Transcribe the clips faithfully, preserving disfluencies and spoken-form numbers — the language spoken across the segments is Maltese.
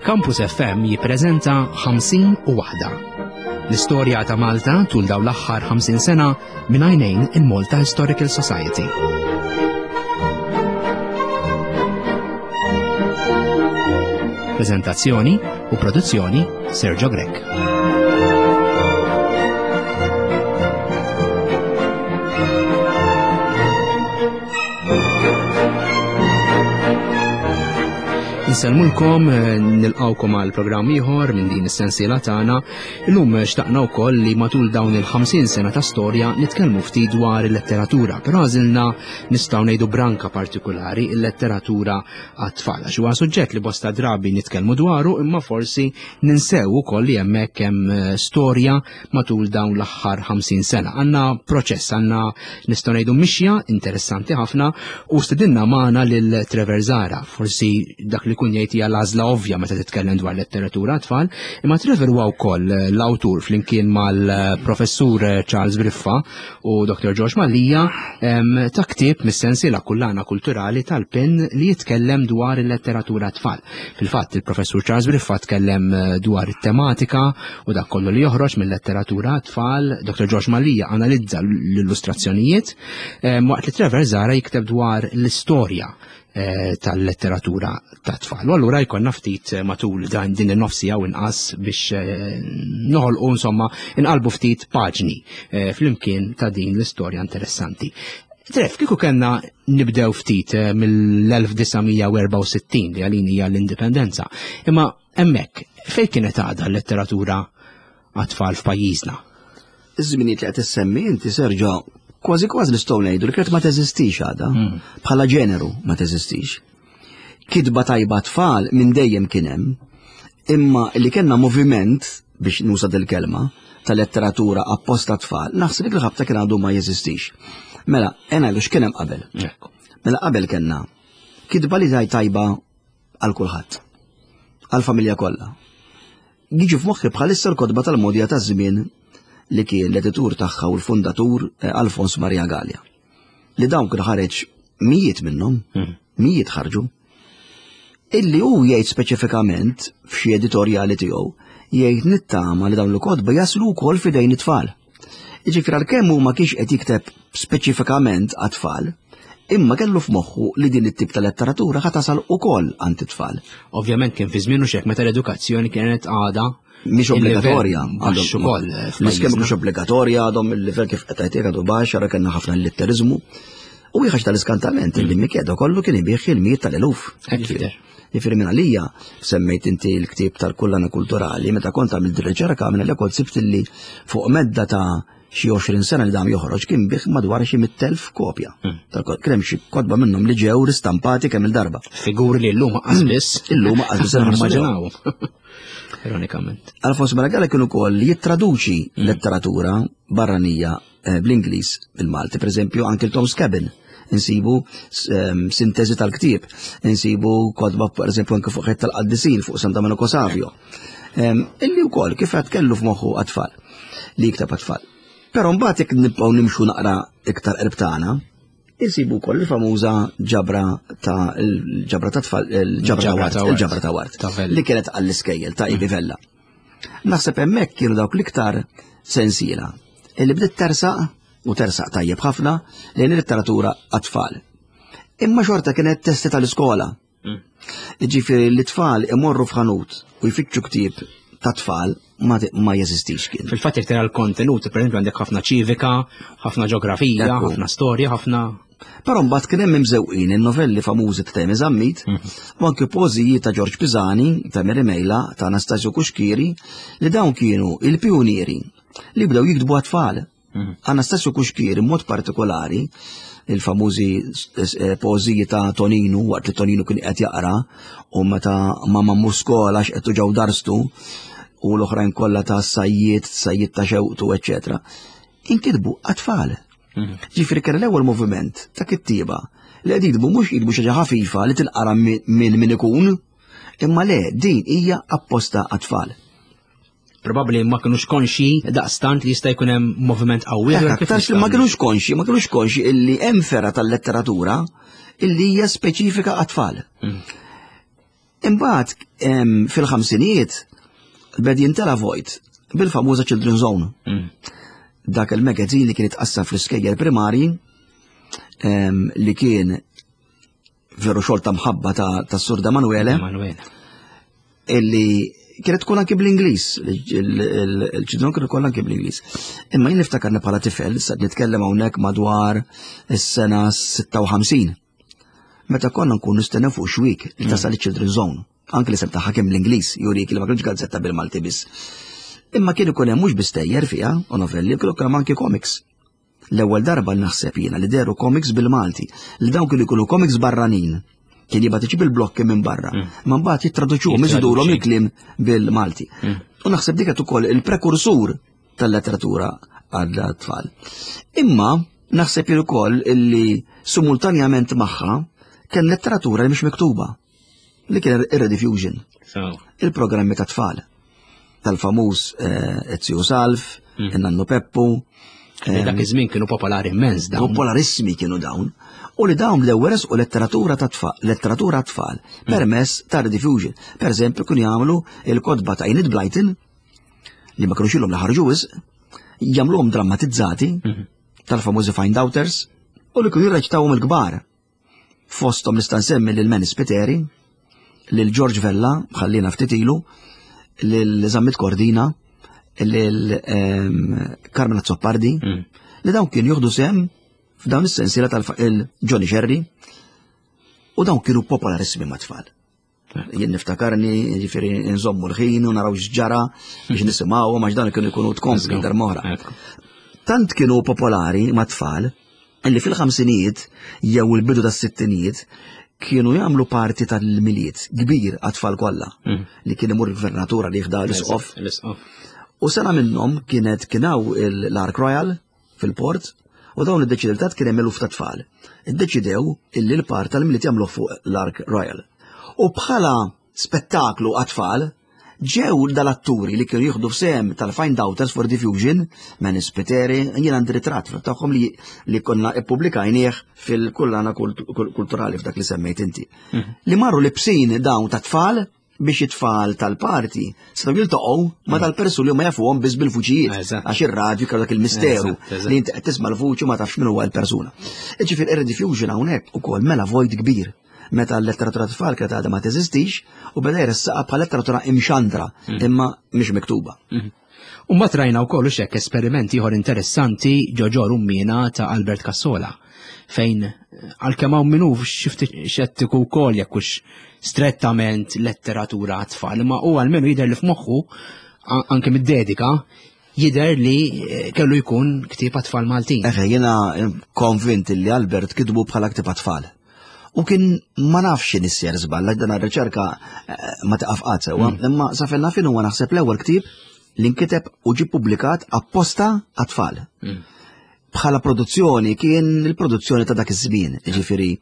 Campus F M jippreżenta ħamsin u waħda. L-istorja ta' Malta tul dawn l-aħħar ħamsin sena minn għajnejn il-Malta Historical Society. Prezentazzjoni u produzzjoni Sergio Grech. Insellmulkom, eh, nilqawkom għal programm ieħor minn din is-sensiela tagħna. Illum xtaqna wkoll li matul dawn il-ħamsin sena ta' storja nitkellmu ftit dwar il-letteratura, però għażilna nistgħu ngħidu branka partikolari, il-letteratura għat-tfal. Għax huwa suġġett li bosta drabi nitkellmu dwaru, imma forsi ninsew ukoll li hemmhekk hemm eh, storja matul dawn l-aħħar ħamsin sena. Għandna proċess, għandna nistgħu ngħidu mixja interessanti ħafna u stedinna magħna lil Trevor Zahra, forsi dak li kun jgħid hija l-għażla ovvja meta titkellem dwar letteratura tfal, imma Trevor huwa wkoll l-awtur flimkien mal-professur Charles Briffa u Doktor George Mallia ta' ktieb mis-sensiela Kullana Kulturali tal-PEN li jitkellem dwar il-letteratura tfal. Fil-fatt il-professur Charles Briffa tkellem dwar it-tematika u dak kollu li joħroġ mill-letteratura tfal, Doktor George Mallia analizza l-illustrazzjonijiet, waqt li Trevor Zahra jikteb dwar l-istorja eh, tal-letteratura ta' tfal. U allura jkollna ftit matul dan din in-nofsi jew inqas biex, eh, noħolqu, insomma, inqalbu ftit paġni, eh, flimkien ta' din l-istorja interessanti. Trev, kieku kellna nibdew ftit mill-elf disa' mija u erbgħa u sittin li għalin hija l-indipendenza, imma hemmhekk fejn kienet għadha l-letteratura għat-tfal f'pajjiżna? Iż-żminijiet li qed issemmi inti, Sergio, kważi kważi nistgħu ngħidu li kienet ma teżistix għadha. Hmm. Bħala ġeneru ma teżistix. Kitba tajba tfal minn dejjem kien hemm, imma li kellna moviment, biex nuża dil-kelma, ta' letteratura apposta tfal, naħseb li l-ħabta kien għadu ma jeżistix. Mela, ena lu x'kien hemm qabel. Ekku. Mela qabel kellna kitba li taj tajba għal kulħadd, għal familja kollha. Jiġu f'moħħi bħalissa l-kotba tal-Mogħdija taż-żmien li kien l-editur tagħha u l-fundatur, eh, Alfons Maria Galea. Li dawn kien ħareġ mijiet minnhom, Hmm. mijiet ħarġu. Illi hu jgħid speċifikament f'xi editorjali tiegħu, jgħid nittama li dawn l-kotba jaslu wkoll f'idejn it-tfal. Jiġifieri għalkemm hu ma kienx qed jikteb speċifikament għat-tfal, imma kellu f'moħħu li din it-tip ta' letteratura ħa tasal ukoll għand it-tfal. Ovvjament kien fi żmien u xek meta l-edukazzjoni kienet għadha mhix obbligatorja. Baxx ukoll, eh, L-iskema f'pajjiżna. mhux obbligatorja, għadhom il-livell kif qed tgħid għadu baxx, ara kellna ħafna l-litteriżmu. U ħaġa tal-iskantament li Mikeda kollu kien ibih il-mijiet tal-eluf. Hekk jidher. Jiġifieri minn għalija semmejt inti l-ktieb tal-Kullana Kulturali, meta kont għamilt riċerka minn għalija kont sibt li fuq medda ta' xi għoxrin sena li dam joħroġ kien bih madwar xi mitt elf kopja. Hmm. Tal-kot- Kien hemm xi kotba minnhom li ġew ristampati kemm il-darba. Figuri li llum qas biss. Illum qas biss nimmaġinaw. Ironikament. Alfons Maria Galea kien ukoll jittraduċi letteratura barranija, eh, bl-Ingliż bil-Malti, per eżempju anke l-Tom's Cabin. Insibu ehm, sintesi tal-ktieb, insibu kotba per eżempju anke fuq ħajt tal-Qaddisin, fuq San Domenico Savio. Ehm, illi wkoll kif qed kellu f'moħħu għat-tfal, li jikteb għat-tfal. Però mbagħad jekk nibqgħu nimxu naqra iktar qrib tagħna, insibu wkoll il-famuża ġabra ta' il-ġabra ta' tfal, il-ġabra ta' Il-ġabra Ward, ta' Ward. il-ġabra ta' Ward, Ta' Vella. li kienet għall-iskejjel ta' Ivi Vella. Naħseb hemmhekk kienu dawk l-iktar sensiela illi bdiet tersaq u tersaq tajjeb ħafna lejn il-letteratura għat-tfal. Imma xorta kienet testi tal-iskola. Mm. Ġifieri li tfal imorru f'ħanut u jfittxu ktieb ta' tfal ma, ma jeżistix kien. Fil-fatt jekk tara l-kontenut, per eżempju għandek ħafna ċivika, ħafna ġeografija, Ekku. ħafna storja, ħafna Però mbagħad kien hemm imżewqin in-novelli famużi ta' Temi Zammit u anke poeżiji ta' George Pisani, ta' Mary Mejla, ta' Anastasio Cuschieri, li dawn kienu il-pionieri li bdew jiktbu għat-tfal. Anastasio Cuschieri mod partikolari, il-famużi eh, poeżiji ta' Toninu, waqt li Toninu kien qed jaqra u meta ma mammu skola x'qed ġew darstu u l-oħrajn kollha ta' sajjiet, sajjiet ta' xewqtu, eċċetera. Inkitbu għat-tfal. Ġifieri kien l-ewwel moviment ta' kittieba li qed jiktbu mhux jiktbu xi ħaġa ħafifa li tinqara minn min ikun, imma le din hija apposta għat-tfal. Probabbli ma kinux konxi daqstant li jista' jkun hemm moviment qawwi. Aktarx li ma kinux konxi, ma kinux konxi illi hemm fergħa tal-letteratura illi hija speċifika għat-tfal. Mm. Imbagħad fil-ħamsinijiet beda jintela vojt bil-famuża Children's Zone. Mm. Dak il-magazine li kien itqassam fl-iskejjel primari li kien veru xogħol ta' mħabba ta' Sur Emanuele. Illi kienet tkun anki bl-Ingliż, il-ċidron kienu kollha anki bl-Ingliż. Imma jien niftakarni bħala tifel, sa nitkellem hawnhekk madwar is-sena sitta u ħamsin. Meta konna nkun nistennew fuq xwik li tasal iċ-Children's Zone, anki li sem tagħha kien bl-Ingliż, jurik li ma kienx gazzetta bil-Malti biss. Imma kien ikun hemm mhux bistejjer fiha u novelli, kienu hemm anki comics. L-ewwel darba naħseb jiena li deru comics bil-Malti, li dawn kienu jkunu comics barranin. Kien jibgħat iġib il-blokki minn barra. Ma mbagħad jittraduċuhom, iżidulhom il-kliem bil-Malti. U naħseb dik qed ukoll il-prekursur tal-letteratura għall-tfal. Imma naħseb jien ukoll illi simultanjament magħha kien letteratura li mhix miktuba, li kien ir-Rediffusion. Il-programmi ta' tfal tal-famuż Ezio Salv, in-Nannu Peppu. Dak iż-żmien kienu popolari immens dawn. Popolarissimi kienu dawn. U li dawn bdew u letteratura ta' tfal, letteratura tfal, permess ta' Rediffusion. Per eżempju, kienu jagħmlu il-kotba ta' Enid Blyton, li ma kinux ilhom li ħarġu wisq, jagħmluhom drammatizzati tal-famużi Find Outers, u li kienu jirreċtawhom il-kbar. Fosthom nista' nsemmi lil Manny Spiteri, lil George Vella, ħallina ftit ilu, lil Zammit Cordina, lil Carmen Azzopardi, li dawn kienu jieħdu sehem f'dawn is-sensiela tal-Johnny Sherry, u dawn kienu popolarissimi mat-tfal. Jien niftakarni, ġifieri nżommu l-ħin u naraw x'ġara biex nisimgħu, għax dawn kienu jkunu tkompli darb'oħra. Tant kienu popolari mat-tfal illi fil-ħamsinijiet jew il-bidu tas-sittinijiet kienu jagħmlu parti tal-Milied kbir għat-tfal kollha li kien imur il-gvernatura li jieħda l-isqof. U sena minnhom kienet kienaw l-Ark Royal fil-port, u dawn id-deċidew kien hemm eluf ta' tfal. Iddeċidew illi l-part tal-Milied jagħmluh fuq l-Ark Royal. U bħala spettaklu għat-tfal ġew dal-atturi li kienu jieħdu f'sehem tal-Find Outers for Diffusion, Manny Spiteri, jien għandi ritratt tagħhom li, li konna ippubblikajnieh fil-kullana kulturali f'dak li semmejt inti. Li marru libsin dawn ta' tfal biex it-tfal tal-parti setgħu jiltaqgħu ma tal-persuni li ma jafuhom biss bil-vuċijiet, għax ir-radju kellu dak il-misteru li inti qed tisma' l-vuċi ma tafx min huwa l-persuna. Ġifieri ir-Rediffusion hawnhekk ukoll mela vojt kbir meta l-letteratura tfal kienet għadha ma teżistix u beda jressaqha bħal letteratura imxandra imma mhix miktuba. U mbagħad rajna wkoll hekk esperimenti ieħor interessanti Ġoġo Rummina ta' Albert Cassola, fejn għalkemm hawn minnu xi ftit xettiku wkoll jekk hux strettament letteratura għat-tfal, imma hu għalmenu jidher li f'moħħu anke mid-dedika jidher li kellu jkun ktieb għat-tfal Maltin. Eħe, jiena konvint li Albert kitbu bħala ktieb għat-tfal. U kien ma nafx x'inhi s-ser żball, għax dan ir-riċerka ma taqaf qatt sewwa, imma sa fejn naf huwa naħseb l-ewwel ktieb li nkiteb u ġie ppubblikat apposta għat-tfal. Bħala produzzjoni kien il-produzzjoni ta' dak iż-żmien, jiġifieri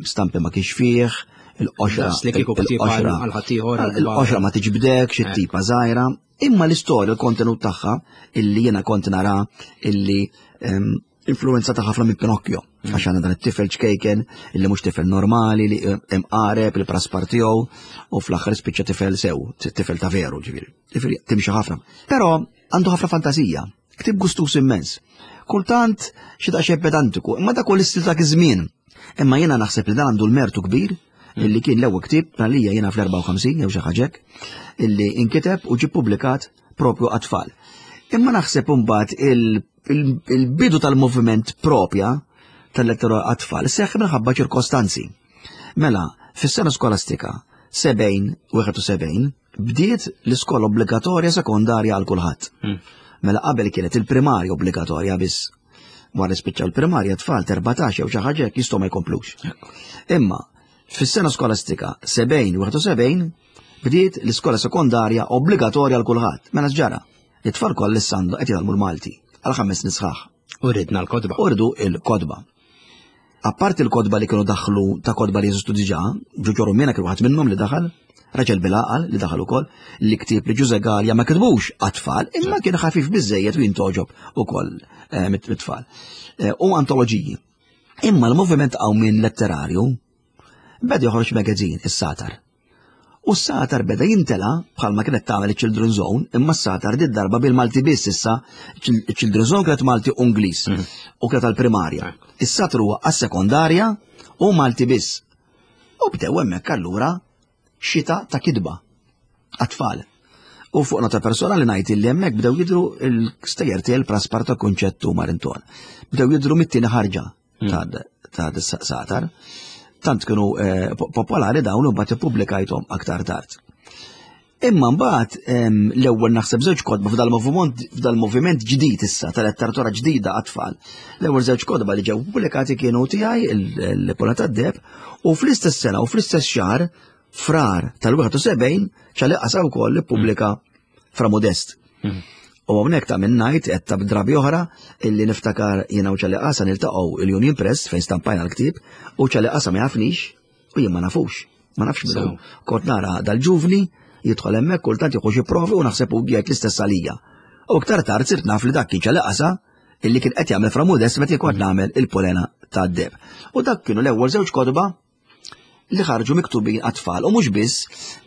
stampi ma kienx fih, il-qoxra, Daqs li kieku ktieb il-qoxra, għal ħaddieħor, għal il-qoxra ma tiġbdekx, it-tipa żgħira, imma l-istorja, il-kontenut tagħha illi jiena kont nara illi influenza ta' ħafna minn Pinocchio, għax għandna dan it-tifel ċkejken illi mhux tifel normali li imqareb il-praspar tiegħu u fl-aħħar spiċċa tifel sew, tifel ta' veru, ġifieri. Ġifieri timxi ħafna. Però għandu ħafna fantasija, ktieb gustus immens. Kultant xi daqsxejn pedantiku, imma dak ukoll istil dak iż-żmien. Imma jiena naħseb li dan għandu l-mertu kbir illi kien l-ewwel ktieb għalija jiena fl-erbgħa u ħamsin jew xi ħaġa hekk, illi inkiteb u ġie ppubblikat propju għat-tfal. Imma naħseb imbagħad il-, il-, il-bidu tal-moviment propja tal-letteratura għat-tfal seħħ minħabba ċirkostanzi. Mela, fis-sena skolastika sebgħin wieħed u sebgħin bdiet l-iskola obbligatorja sekondarja għal kulħadd. Mm. Mela qabel kienet il-primarja obbligatorja biss. Wara spiċċaw il-primarja tfal erbatax jew xi ħaġa hekk jistgħu ma jkomplux. Imma fis-sena skolastika sebgħin wieħed u sebgħin bdiet l-iskola sekondarja obbligatorja għal kulħadd. Mela x'ġara? It-tfal kollha issa għandhom qed jitgħallmu l-Malti għal ħames snin sħaħ. U ridna l-kotba. U rridu l-kotba. Apparti l-kotba li kienu daħlu ta' kotba li jeżistu diġà, Ġoġo Rummina kien waħed minnhom li daħal, Raġel bil-għaqal li daħal ukoll, li ktieb li Ġuże Galea ma kitbux għat-tfal, imma kien ħafif biżejjed u jintogħġob ukoll eh, mit-tfal. Eh, u antoloġiji. Imma l-moviment qawmien letterarju beda joħroġ magazine, is-Satar. U s-Satar beda jintela bħalma kienet tagħmel iċ-Children's Zone, imma s-Satar di darba bil-Malti biss issa, iċ-Children's Zone kienet Malti u Ingliż mhm. u kienet għall-primarja. Is-Satar huwa għas-sekondarja u Malti biss. U bdew hemmhekk allura xita ta' kitba għat-tfal. U fuq nota personali ngħid li hemmhekk bdew jidhru l-stejjer tiegħi l-Praspar ta' Kunċett u Marinton. Bdew jidhru mit-tieni ħarġa mm. ta' Satar. Tant kienu eh, popolari dawn u mbagħad ippubblikajthom aktar tard. Imma mbagħad l-ewwel naħseb żewġ kotba f'dal-moviment f'dal-moviment ġdid issa tal-letteratura ġdida għat-tfal. L-ewwel żewġ kotba li ġew pubblikati kienu tiegħi il-Pola tad-Deheb u fl-istess sena u fl-istess xahar Frar tal-wieħed u sebgħin Ċali Qasa wkoll ippubblika Fra Modest. Mhm. U hawnhekk ta' minn ngħid qed ta' drabi oħra illi niftakar jiena u Ċali Qasa niltaqgħu il-Union Press fejn stampajna l-ktieb u Ċali Qasa ma jafnix u jien ma nafux. Ma nafx minnu. Kont nara dal-ġuvni jidħol hemmhekk kultant jieħu xi provi u naħseb u jgħid l-istess għalija. U iktar tard sirt naf li dak kien Ċali Qasa illi kien qed jagħmel Fra Modest meta kont nagħmel il-Polena tad-Deheb. U dak kienu l-ewwel żewġ kotba li ħarġu miktubin għat-tfal u mhux biss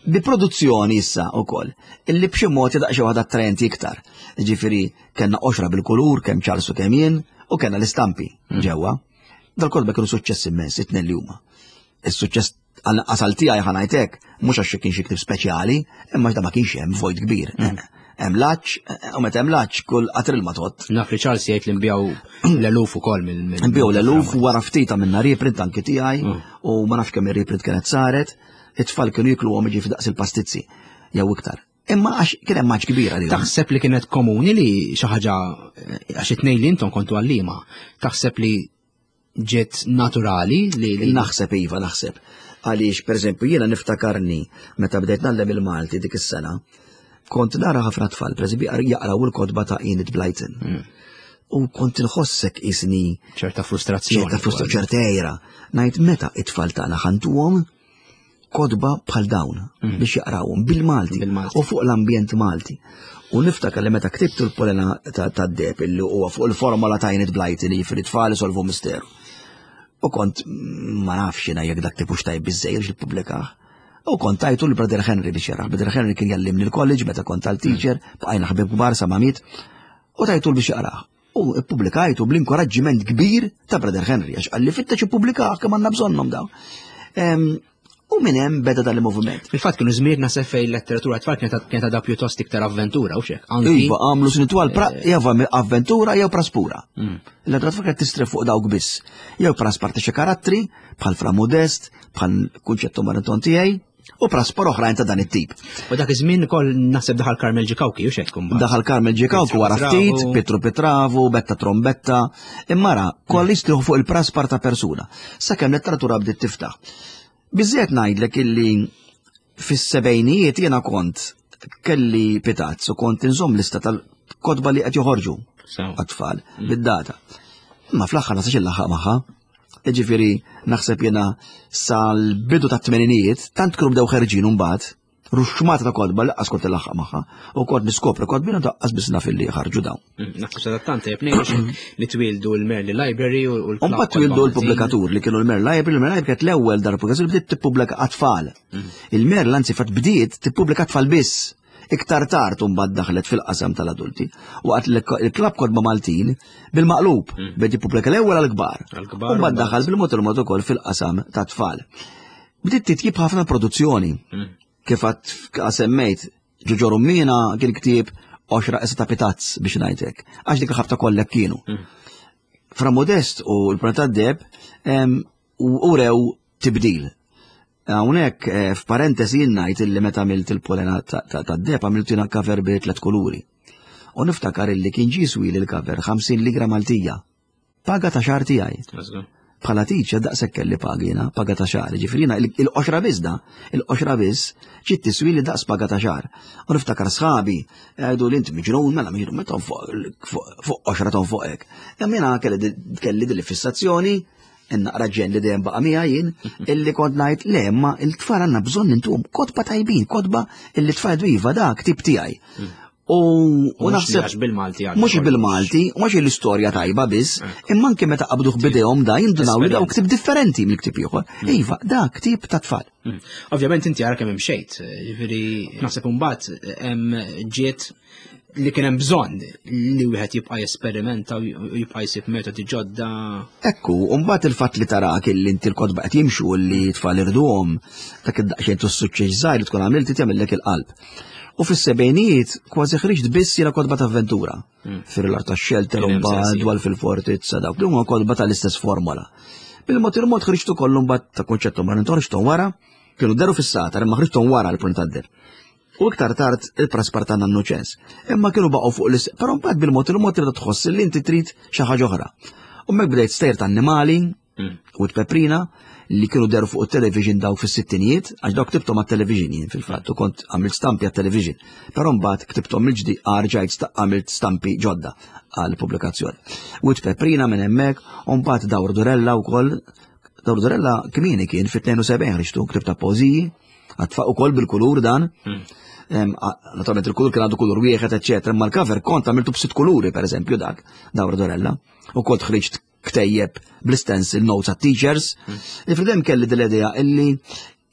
bi produzzjoni issa wkoll illi b'xi mod daqsxejn waħda attraenti iktar. Ġifieri kellna qoxra bil-kulur kemm Charles u kemm jien u kellna l-istampi mm. ġewwa. Dal-kotba kienu suċċess immens, it-tnejn li huma. Is-suċċess għasal tiegħi ħa ngħidlek, mhux għax kien xi ktieb speċjali, imma da ma kienx hemm vojt kbir. Mm. Hemm laċ, u meta hemm laċ kull qatril ma tot. Naf li Charles jgħid li nbiegħu l-eluf ukoll mill. Nbiegħu l-eluf wara ftit minna reprint anki tiegħi mm. u ma nafx kemm ir-reprint kienet saret, it-tfal kienu jikluhom jiġi daqs il-pastizzi jew iktar. Imma għax kien hemm maġ kbira li. Taħseb li kienet komuni li xi ħaġa għax it-tnejn li intom kontu għalliema, taħseb li ġiet naturali li Naħseb iva, naħseb. Għaliex, per eżempju, jiena niftakarni meta bdejt nallem il-Malti dik is-sena, kont nara ħafna tfal, per eżempju, jaqraw il-kotba ta' Enid Blyton. Mm. U kont inħossek isni ċerta frustrazzjoni. ċerta frustrazzjoni, ċerta għira. Ngħid meta it-tfal tagħna ħa ntuhom kotba bħal dawn mm. biex jaqrawhom bil-Malti u fuq l-ambjent Malti. U niftakar li meta ktibtu l-Polena tad-Deheb illi huwa fuq il-formola ta' Enid Blyton li jiġifieri tfal isolvu misteru. U kont ma nafx jiena jekk dak tipux tajb biżejjed biex ippubblikah. U kont tajtu l-Brother Henry biex jarah. Brother Henry kien jallimni l-college meta kont tal-teacher, bqajna ħbib kbar sa ma miet. U tajtu biex jaqrah. U ippubblikajtu bl-inkoraġġiment kbir ta' Brother Henry, għax qalli fittex ippubblikah kemm għandna bżonnhom dawn. U minn hemm beda dan il-moviment. Fil-fatt kienu żmien naħseb fejn letteratura tfal kienet kienet għadha pjuttost iktar avventura u xek. Iva, għamlu snin twal eh, jew avventura jew praspura. Mm. Il-letteratura tfal kienet tistrieħ fuq dawk biss. Jew praspar ta' xi karattri, bħal Fra Modest, bħal Kunċettu Marinton tiegħi, u praspar oħrajn ta' dan it-tip. U dak iż-żmien ukoll naħseb daħal Carmel Ġikawki u xek kumbat. Daħal Carmel Ġikawki wara ftit, Pietru Pitravu, Betta Trombetta, imma ra koll jistrieħu fuq il-praspar ta' persuna. Sakemm letteratura bdiet tiftaħ. Biżżejjed ngħidlek illi fis-sebgħinijiet jiena kont kelli pitazz u kont inżomm lista tal-kotba li qed joħorġu għat-tfal mm. bid-data. Imma fl-aħħar ma sax il-laħaq magħha. Jiġifieri naħseb jiena sal-bidu tat-tmeninijiet tant kienu bdew ħerġin mbagħad ruxxmata ta' kotba li kont il-laħaq magħha u kont niskopri kotbin u daqqas biss naf illi ħarġu dawn. Mm, naħseb sadattant tajjeb ngħidu li twildu l-Merli Library u l Mbagħad twildu l-pubblikatur li kienu l-Merli Library, l-Merli Library kienet l-ewwel dar pubblikatur li bdiet tippubblika għat-tfal. Mm. Il-Merli anzi fatt bdiet tippubblika tfal biss. Iktar tard mbagħad daħlet fil-qasam tal-adulti. Waqt il-Klabb Kotba Maltin bil-maqlub mm. bdiet tippubblika l-ewwel għall-kbar. U mbagħad daħal bil-mod il-mod ukoll fil-qasam tat-tfal. Bdiet titjib ħafna produzzjoni. Kif għad semmejt, Ġoġo Rummina kien ktieb għoxra issa ta' pitazz biex ngħidlek. Għax dik il-ħabta kollek kienu. Mm. Fra Modest u l-Planeta Deb urew tibdil. Hawnhekk eh, f'parentesi jien ngħid illi meta għamilt il-polena tad-deb għamilt jiena cover bi tliet kuluri. U niftakar illi kien ġie swili l-cover ħamsin ligra Maltija. Paga ta' xahar tiegħi. Bħala teacher daqshekk kelli paga jiena, paga ta' xahar. Ġifieri jiena il-qoxra biss da, il-qoxra biss ġiet tiswili daqs paga ta' xahar. U niftakar sħabi jgħidu li inti miġnun, mela miġnun, meta fuq qoxra ton fuq hekk. Imma jiena kelli din il-fissazzjoni In-naqra ġen li dejjem baqa' miegħi jien, illi kont ngħid le, ma il-tfal għandna bżonn intuhom kotba tajbin, kotba illi tfal jgħidu iva da ktib tiegħi. U, u naħseb għax bil-Malti għal mhux bil-Malti, mhux l-istorja tajba biss, imma anke meta qabduh bidejhom da jindunaw li daw ktib differenti mill-ktib ieħor. Iva, da ktib ta' tfal. Mm. Ovvjament inti ara kemm imxejt, jiġifieri naħseb imbagħad hemm ġiet li kien hemm bżonn li wieħed jibqa' jesperimenta u jibqa' jsib metodi ġodda. Ekku, u mbagħad il-fatt li tarak illi inti l-kotba qed jimxu li tfal irduhom dak id-daqsxejn tas-suċċess żgħir li tkun għamilt jagħmellek il-qalb. U fis-sebgħinijiet kważi ħriġt biss jiena kotba ta' avventura. Fir-lar tax-shelter Kien u hemm mbagħad sensiela. dwar fil-fortizza dawk li huma kotba tal-istess formola. Bil-mod il-mod ħriġtu kollu mbagħad ta' kunċettu ma ħriġthom wara, kienu deru fis-satar imma ħriġthom wara l-punt tad-der. U iktar tard il-praspar ta' Nannu Ċens. Imma kienu baqgħu fuq l però mbagħad bil-mod il-mod tibda tħoss li inti trid xi ħaġa oħra. U mek bdejt stejjer ta' annimali u t-peprina li kienu deru fuq il-television dawk fis-sittinijiet, għax dawk ktibthom għat-television jien fil-fatt, u kont għamilt stampi għat-television. Però mbagħad ktibthom mill-ġdid rġajt sta- għamilt stampi ġodda għal pubblikazzjoni. U t-peprina minn hemmhekk, u mbagħad Dawr Durella wkoll. Dawr Durella kmieni kien fit-tnejn u sebgħin ħriġtu ktib ta' poeżiji, għat-tfal ukoll bil-kulur dan. Em, a- Naturalment il-kulur kien għandu kulur wieħed, eċetera, imma l-cover kont għamiltu b'sitt kuluri, per eżempju, dak, Dawr Durella. U kont ħriġt ktejjeb bl-stencil notes għat teachers. Ifridem kelli dil-idea illi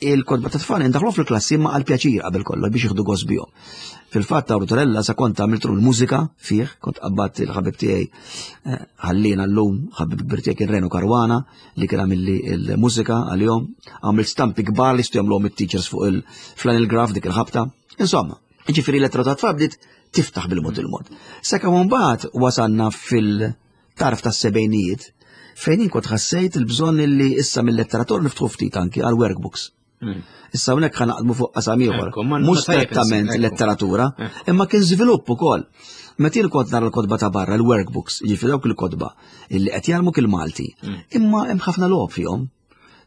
il-kotba ta' tfal indaħlu fil-klassi ma għal pjaċir qabel kollox biex jieħdu gost bihom. Fil-fatt Dawr Durella sa kont għamiltru l-mużika fih, kont qabbadt il-ħabib tiegħi eh, ħallina llum, ħabib kbir tiegħi kien Reno Caruana li kien għamilli il-mużika għalihom, għamilt stampi kbar li jistgħu jagħmluhom it-teachers fuq il-flannel graph dik il-ħabta. Insomma, ġifieri l ta' tfal bdiet tiftaħ bil-mod il-mod. Sakemm mbagħad wasalna fil-tarf tas-sebgħinijiet fejn jien kont ħassejt il-bżonn li issa mill-letteratura niftħu ftit anki għal workbooks. Issa hawnhekk ħa naqdmu fuq qasam ieħor. Ekku, ma- Mhux ma tajjeb strettament ekku. letteratura, imma kien żvilupp ukoll. Meta jien kont nara l-kotba ta' barra, l-workbooks, jiġifieri dawk il-kotba illi qed jgħallmuk il-Malti, imma hemm ħafna logħob fihom.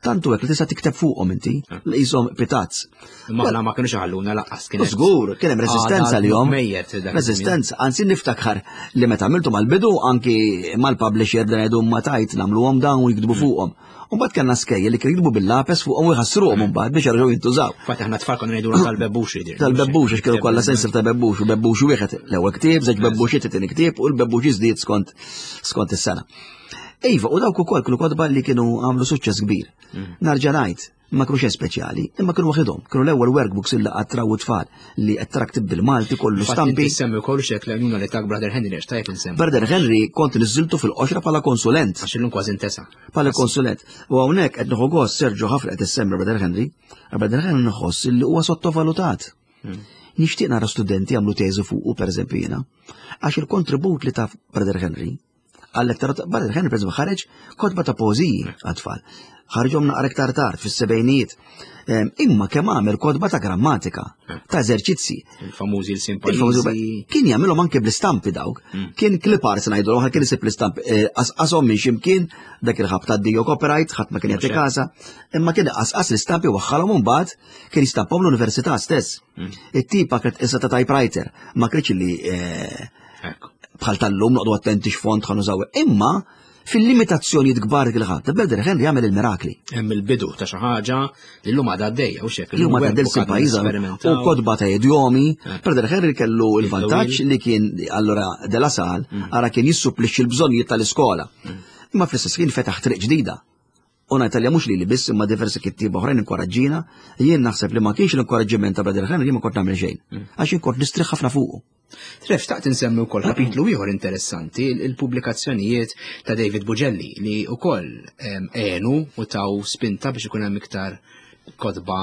Tantu hekk li tista' tikteb fuqhom inti, li qishom pitazz. Imma aħna ma kienux ħalluna laqqas kien. Żgur, kien hemm resistenza li jom. Mejjet dak iż-żmien. Resistenza, anzi niftakar li meta għamiltu mal-bidu anki mal-publisher dan jgħidu ma tajt nagħmluhom dawn u jiktbu fuqhom. U mbagħad kellna skejjel li kienu jiktbu bil-lapes fuqhom u jħassruhom mbagħad biex jerġgħu jintużaw. Fatt aħna tfal konna ngħidu tal-bebbux jidir. Tal-bebbux, għax kienu kollha sensir ta' bebbux u bebbux wieħed l-ewwel ktieb, żewġ bebbuxiet it-tieni ktieb u l-bebbux jiżdied skont skont is-sena. Iva, u dawk ukoll kienu kotba li kienu għamlu suċċess kbir. Narġa' ngħid, ma kienu xejn speċjali, imma kienu waħedhom, kienu l-ewwel workbooks illi attraw tfal li qed tara ktib bil-Malti kollu stampi. Semmi wkoll xek l-għajnuna li tak Brother Henry għax tajjeb insemmi. Brother Henry kont niżiltu fil-qoxra bħala konsulent. Għax illum kważi intesa. Bħala konsulent. U hawnhekk qed nieħu gost Sergio ħafna qed issemmi Brother Henry, Brother Henry nħoss li huwa sottovalutat. Nixtieq nara studenti jagħmlu teżi fuqu pereżempju jiena. Għax il-kontribut li ta' Brother Henry għal-letteratura, Brother Henry pereżempju ħareġ kotba ta' poeżiji għat-tfal. Ħarġhom naqra iktar tard fis-sebgħinijiet. Em, Imma kemm għamel kotba ta' grammatika, ta' eżerċizzi. Il-famużi Il-famużi l-simpaliżi. Kien jagħmilhom anke bl-istampi dawk. Kien clip arts ngħidu l kien isib l-istampi eh, qasqashom minn ximkien dak il-ħab ta' Dio copyright, ħadd ma kien jagħti casa, imma kien qasqas l-istampi waħħalhom imbagħad kien jistampahom l-università stess. It-tipa kienet issa ta' typewriter, ma kienx li eh, Ekku. bħal tal-lum noqdu attenti x'font ħa nużaw. Imma fil-limitazzjonijiet kbar kien ħadd, Brother Henry jagħmel il-mirakli. Hemm il-bidu ta' xi ħaġa li llum għadha għaddejja u xek. Li huma ta' del pajjiża u kotba ta' idjomi. Brother Henry kellu il-vantaġġ li kien allura De La Salle ara kien jissupplixxi l-bżonnijiet tal-iskola. Imma fl-istess ħin fetaħ triq ġdida. U ngħid mhux li li biss imma diversi kittieba oħrajn inkoraġġina, jien naħseb li ma kienx l-inkoraġġiment ta' Brother Henry ma kont nagħmel xejn. Għax jien kont nistrieħ ħafna fuqu. Tref, xtaqt insemmi wkoll kapitlu ieħor interessanti, il-pubblikazzjonijiet ta' David Bugelli li wkoll għenu u taw spinta biex ikun hemm iktar kotba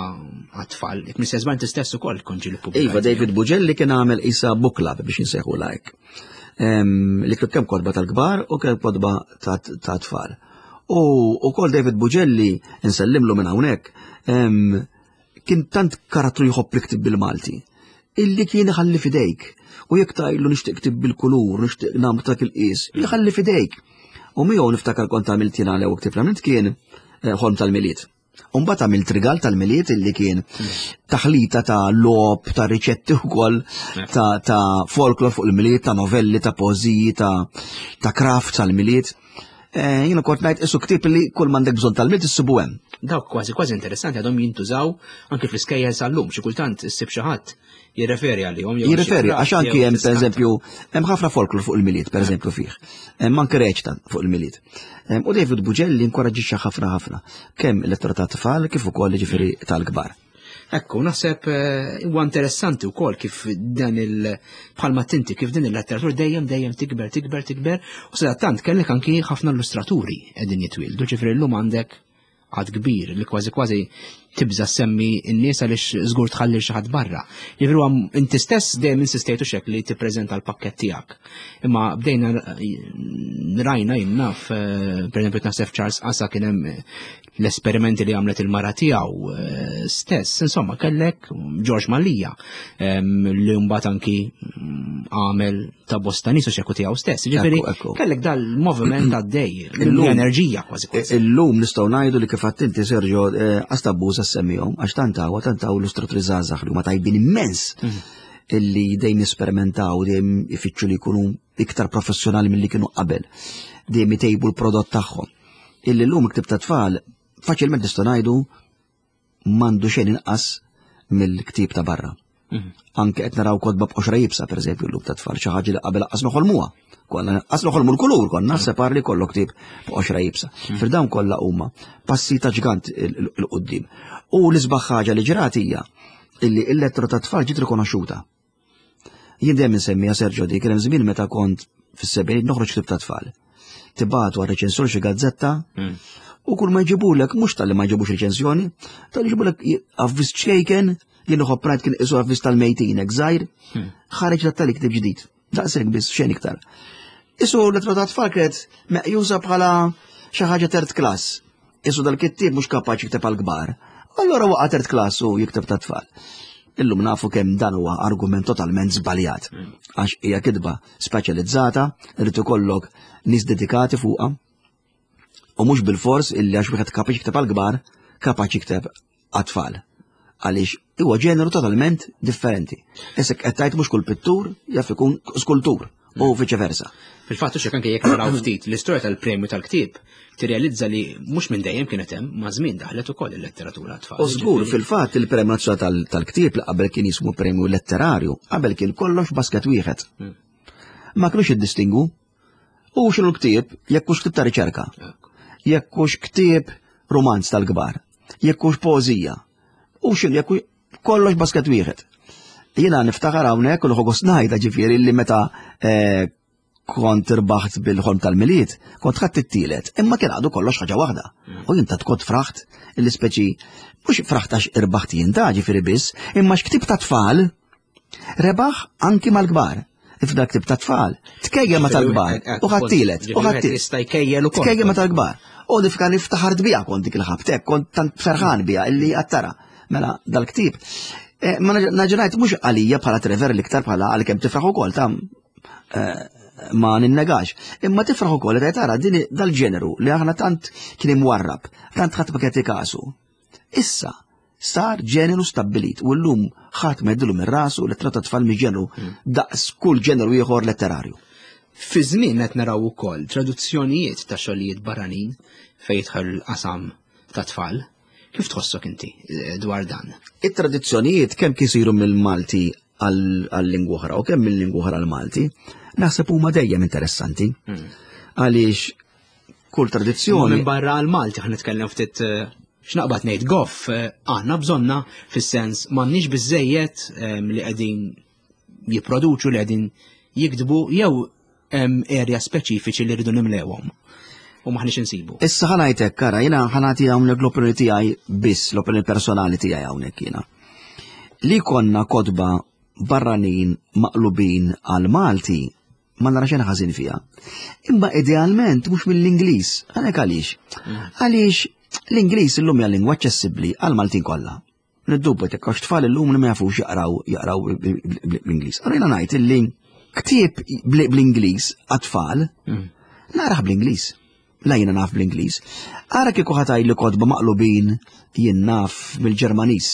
għat-tfal. Jekk mhux żball inti stess ukoll kont ġieli ppubblikajt. Iva, David Bugelli kien għamel isa book club biex insejħu like. Em, Li kien kemm kotba tal-kbar u kemm kotba ta' ta' tfal. U ukoll David Bugelli nsellimlu minn hawnhekk em, kien tant karattru jħobb li ktib bil-Malti illi kien iħalli fidejk. U jekk tgħidlu nixtieq ktib bil-kulur, nixtieq nagħmlu dak il-qis, jħalli fidejk. U miegħu niftakar kont għamilt jiena l-ewwel ktib li għamilt kien eh, ħolm tal-Milied. Umbagħad għamilt rigal tal-Milied illi kien taħlita ta' logħob, ta' riċetti ukoll, ta' ta' folklor fuq il-Milied, ta' novelli, ta' poeżiji, ta' ta' craft tal-Milied. Eh, jiena kont ngħid isu ktieb li kull m'għandek bżonn tal-Milied issibu hemm. Dawk kważi kważi interessanti għadhom jintużaw anke fl-iskejjel sal-lum, xi kultant issib xi ħadd jirreferi għalihom. Jirreferi, għax anki hemm pereżempju hemm ħafna folklor fuq il-Milied pereżempju fih. Hemm anke reċta fuq il-Milied. U David Bugelli inkoraġġixxa ħafna ħafna kemm il-lettura ta' tfal kif ukoll ġifieri tal-kbar. Ekku, naħseb eh, huwa interessanti wkoll kif dan il bħalma tinti kif din il-letteratura dejjem dejjem tikber, tikber, tikber, u sadattant kellek anki ħafna illustraturi qegħdin jitwieldu, ġifieri llum għandek għad kbir li kważi kważi tibża semmi n-nies għaliex żgur tħalli xi ħadd barra. Jiġifieri huwa inti stess dejjem insistejtu xek li tippreżenta l-pakkett tiegħek. Imma bdejna rajna jien naf, eh, pereżempju naħseb Charles Asa kien hemm l-esperimenti li għamlet il-mara tiegħu eh, stess, insomma kellek George Mallia li mbagħad anki mm, għamel ta' bosta nies u xeku tiegħu stess. Ġifieri kellek dal-moviment għaddej, l-enerġija kważi kważi. Illum nistgħu ngħidu li kif inti Sergio għastabbuża eh, semmihom għax tantaw tantaw illustraturi żgħażagħ li huma tajbin immens mhm. illi dejjem jesperimentaw, dejjem ifittxu li jkunu iktar professjonali milli kienu qabel, dejjem itejbu l-prodott tagħhom. Illi llum ktib ta' tfal faċilment nistgħu ngħidu m'għandu xejn inqas mill-ktib ta' barra. Mhm. Anke qed naraw kotba b'qoxra jibsa pereżempju llum ta' tfal xi ħaġa li qabel qas noħolmuha. Konna qas noħolmu l-kulur konna mhm. separ li kollok ktib b'qoxra jibsa. Mhm. Fil dawn kollha huma passi ta' ġgant il-qudiem. U l-isbaħ ħaġa li ġrat hija illi il-lettra ta' tfal ġiet rikonoxxuta. Jien dejjem insemmiha Sergio dik kien hemm żmien meta kont fis-sebgħin noħroġ ktib ta' tfal. Tibgħatu għal reċensur xi gazzetta mm. u kull ma jġibulek mhux tal-li ma jġibux reċensjoni, tal-li jġibulek avviż ċkejken jien uħobb ngħid kien isu avviż tal-mejtin hekk żgħir, mm. ħareġ tat-tali ktib ġdid. Daqshekk biss xejn iktar. Isu l-lettra ta' tfal kienet meqjusa bħala xi ħaġa third class. Isu dal-kittieb mhux kapaċi jikteb għall-kbar. Allora waqa' third class u jikteb ta' tfal. Illum nafu kemm dan huwa argument totalment żbaljat. Għax hija kitba speċjalizzata, irid ikollok nies dedikati fuqha. U mhux bil-fors illi għax wieħed kapaċi jikteb għall-kbar, kapaċi jikteb għat-tfal. Għaliex huwa ġeneru totalment differenti. Issa qed tgħid mhux kull pittur jaf ikun skultur u viċe versa. Fil-fatt hux anke jekk naraw ftit l-istorja tal-premju tal-ktieb, tirrealizza li mhux minn dejjem kienet hemm, ma' żmien daħlet ukoll il-letteratura tfal. U żgur fil-fatt il-premju nazzjonali tal-ktieb li qabel kien jismu premju letterarju, qabel kien kollox basket wieħed. Hmm. Ma kinux jiddistingu. U x'inhu l-ktieb jekk hux ktieb ta' riċerka. Jekk hux ktieb romanz tal-kbar, jekk hux poeżija. U x'inhu jekk kollox basket wieħed. Jiena niftakar hawnhekk u nħoggos ngħidha ġifieri li meta eh, kont irbaħt bil-ħolm tal-Milied, kont ħadd it-tielet, imma kien għadu kollox ħaġa waħda. Mm. U jien ta' kont fraħt illi speċi mhux fraħt għax irbaħt jien ta' ġifieri biss, imma x'ktib ta' tfal rebaħ anki mal-kbar. F'dak ktib ta' tfal, tkejjel ma tal-kbar, u ħadd tielet, u ħadd tielet. Tkejjel ma tal-kbar. U nifka niftaħart biha kont dik il-ħabtek, kont tant ferħan biha illi għattara. Mela, dal-ktib. Eh, ma naġenajt mhux għalija bħala Trevor l-iktar bħala għalkemm tifraħ ukoll ta' eh, ma ninnegax. Imma tifraħ ukoll li tara din dal-ġeneru li aħna tant kien imwarrab, tant ħadd ma kien kasu. Issa sar ġeneru stabbilit u llum ħadd ma jdilu minn rasu li tratta tfal mi ġeneru hmm. daqs kull ġeneru ieħor letterarju. Fi żmien qed naraw ukoll traduzzjonijiet ta' xogħlijiet barranin fejn jidħol il-qasam ta' tfal. Kif tħossok inti eh, dwar dan? It-tradizzjonijiet kemm kisiru mill-Malti għal-lingwa oħra u kemm mill-lingwa oħra għall-Malti, naħseb huma dejjem interessanti. Hmm. Għaliex kull tradizzjoni. Minn barra għal-Malti ħan nitkellem ftit eh, x'naqbad ngħid goff eh, għandna bżonna fis-sens m'għandniex biżejjed li qegħdin jipproduċu li qegħdin jiktbu jew hemm area speċifiċi li rridu nimlewhom u maħniex insibu. Issa ħanajtek, kara, jiena ħanati hawnhekk l-opinjoni tiegħi biss, l-opinjoni personali tiegħi hawnhekk jiena. Li konna kotba barranin maqlubin għal Malti ma nara xejn ħażin fiha. Imma idealment mhux mill-Ingliż. Għalhekk għaliex? Mm. Għaliex l-Ingliż illum hija lingwa aċċessibbli għal Maltin kollha. Niddubba tek għax tfal illum li ma jafux jaqraw jaqraw bl-Ingliż. Għarina ngħid illi ktieb bl-Ingliż għat-tfal mm. naraħ bl-Ingliż. La jiena naf bl-Ingliż. Ara kieku ħataj li kotba maqlubin jien naf mill-Ġermaniż,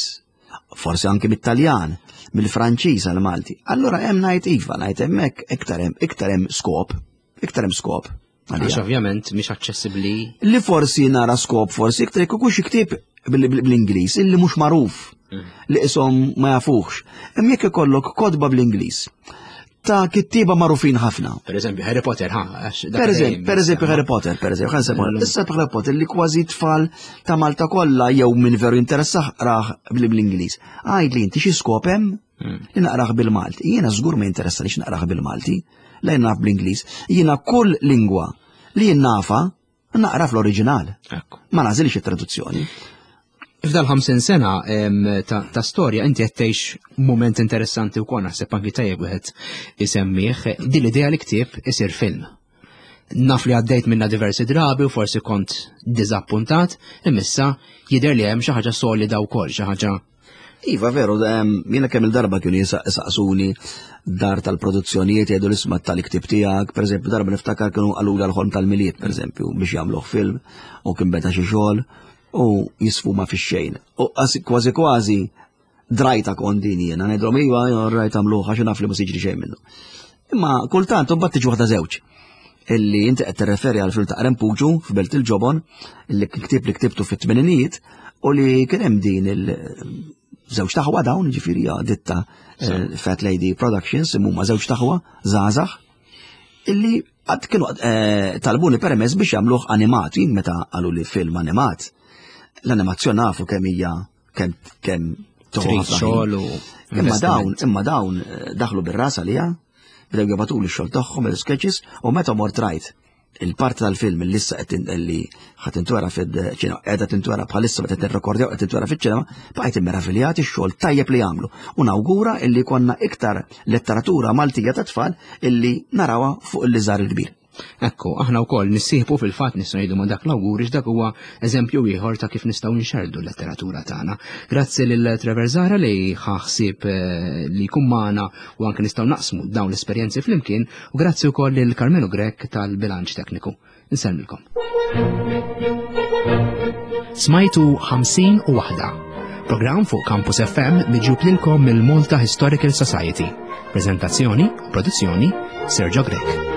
forsi anki mit-Taljan, mill-Franċiż għal-Malti. Allura hemm ngħid iva, ngħid hemmhekk iktar hemm iktar hemm skop, iktar hemm skop. Għax ovvjament mhix aċċessibbli. Li forsi nara skop forsi iktar jekk ikun xi ktieb bl-Ingliż illi mhux magħruf mm. li ishom ma jafuhx. Imma jekk ikollok kotba bl-Ingliż ta' kittieba magħrufin ħafna. Per eżempju, Harry Potter, ha? Per eżempju, per eżempju Harry Potter, per eżempju, ħa nsemmu. Issa Harry Potter li kważi tfal ta' Malta kollha jew min veru interessah qrah bl-Ingliż. Għid li inti xi skop hemm hmm. li naqrah bil-Malti. Jiena żgur ma jinteressanix naqrah bil-Malti, la naf bl-Ingliż. Jiena kull lingwa li jien nafa naqra fl-oriġinal. Ma nagħżilx it-traduzzjoni. F'dal ħamsin sena ta', ta storja inti qed tgħix mument interessanti wkoll, naħseb anki tajjeb wieħed isemmih, din l-idea li ktieb isir film. Naf li għaddejt minna diversi drabi u forsi kont diżappuntat, imma issa jidher li hemm xi ħaġa solida wkoll, xi ħaġa. Iva, veru, jiena kemm il-darba kienu jisaqsuni dar tal-produzzjonijiet, jgħidu l-isma tal-iktib tiegħek, per eżempju, darba niftakar kienu qalula l-Ħolm tal-Milied, per eżempju, biex jagħmluh film, u kien beda xi xogħol u jisfuma fix-xejn. U kważi kważi drajta kont din jiena, ngħidlhom iva, rajt għamluh għax naf li ma siġri xejn minnu. Imma kultant imbagħad tiġi waħda żewġ illi inti qed tirreferi għal film ta' Rempuġu f'Belt il-Ġobon, illi ktib li ktibtu fit-tmeninijiet u li kien hemm din il żewġ taħwa dawn, ġifieri ditta eh, Fat Lady Productions, imma żewġ taħwa żgħażagħ illi għad kienu eh, talbuni permess biex jagħmluh animat, jien meta qalu li film animat. L-animazzjoni nafu kemm hija kemm kemm xogħol. Imma dawn, imma dawn eh, daħlu bir-ras għalija, bdew jibagħtu li x-xogħol tagħhom il-sketches u meta mort rajt il-parti tal-film li issa qed li ħa tintwera fil-ċinema, qiegħda tintwera bħalissa meta tirrekordjaw qed tintwera fiċ-ċinema, bqajt immeraviljat ix-xogħol tajjeb li jagħmlu. U nawgura illi konna iktar letteratura Maltija ta' tfal illi narawha fuq il-liżar il-kbir. Ekku, aħna wkoll nissieħbu fil-fatt nistgħu ngħidu ma' dak l-awguri, dak huwa eżempju ieħor ta' kif nistgħu nxerdu l-letteratura tagħna. Grazzi lil Trevor Zahra li ħaħsib eh, li jkun magħna u anke nistgħu naqsmu dawn l-esperjenzi flimkien, u grazzi wkoll lil Carmelo Grech tal-bilanċ tekniku. Insellmilkom. Smajtu ħamsin u waħda. Programm fuq Campus F M miġjub lilkom mill-Malta Historical Society. Prezentazzjoni u produzzjoni, Sergio Grech.